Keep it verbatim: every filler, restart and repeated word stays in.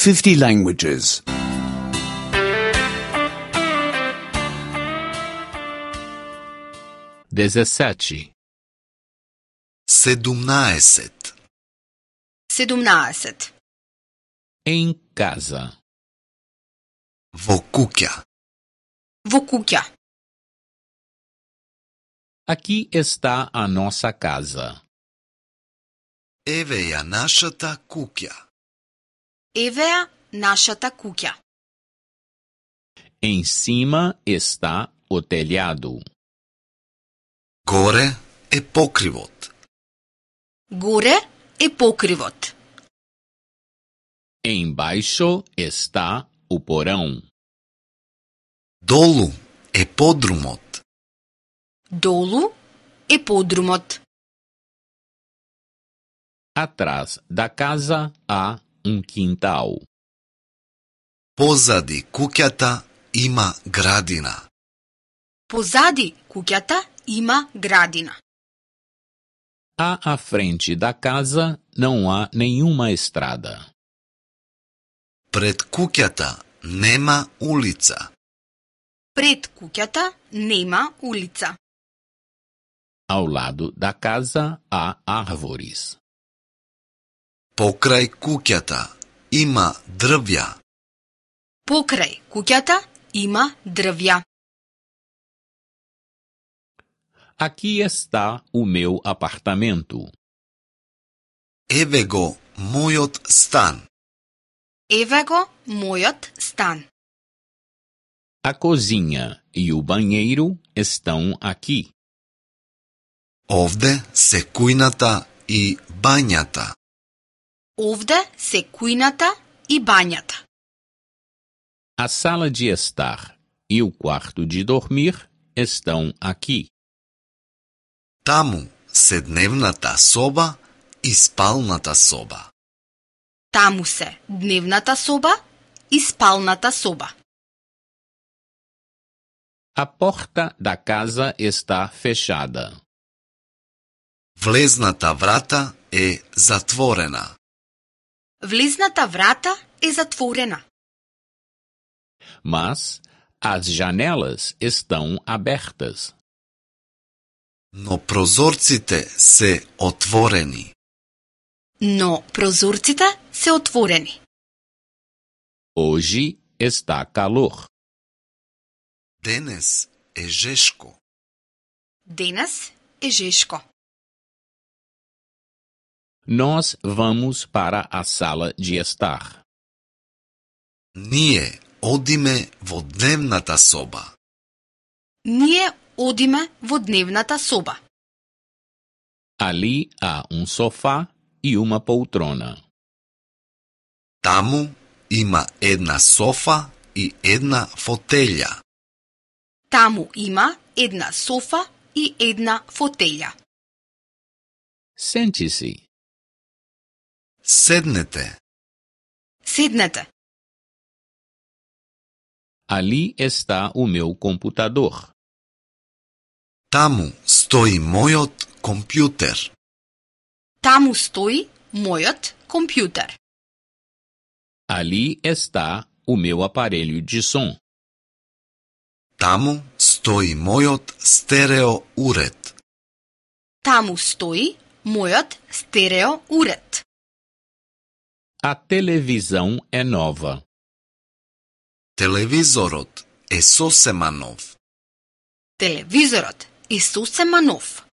fifty languages. dezessete, sedumnaesет, sedumnaesет. em casa, во куќа. Во куќа. aqui está a nossa casa. Еве ја нашата куќа. Еве ја нашата куќа. Em cima está o telhado. Горе е покривот. Горе е покривот. Embaixo está o porão. Долу е подрумот. Долу е подрумот. Atrás da casa há um quintal. Позади куќата има градина. Позади куќата има градина. À à frente da casa não há nenhuma estrada. Пред куќата нема улица. Пред куќата нема улица. Ao lado da casa há árvores. Покрај куќата има дрвја. Покрај куќата има дрвја. Aqui está o meu apartamento. Еве го мојот стан. Еве го мојот стан. A cozinha e o banheiro estão aqui. Овде се кујната и бањата. Овде се кујната и бањата. A sala de estar e o quarto de dormir estão aqui. Таму се дневната соба и спалната соба. Таму се дневната соба и спалната соба. A porta da casa está fechada. Влезната врата е затворена. Влезната врата е затворена. Mas as janelas estão abertas. Но прозорците се отворени. Но прозорците се отворени. Hoje está calor. Денес е жешко. Денес е жешко. Nós vamos para a sala de estar. Ние одиме во дневната соба. Ние одиме во дневната соба. Ali há um sofá e uma poltrona. Таму има една софа и една фотелја. Таму има една софа и една фотелја. Sente-se. Седнете. Седнете. Ali está o meu computador. Таму стои мојот компјутер. Таму стои мојот компјутер. Ali está o meu aparelho de som. Таму стои мојот стерео уред. Таму стои мојот стерео уред. A televisão é nova. Телевизорот е сосема нов. Телевизорот е сосема нов.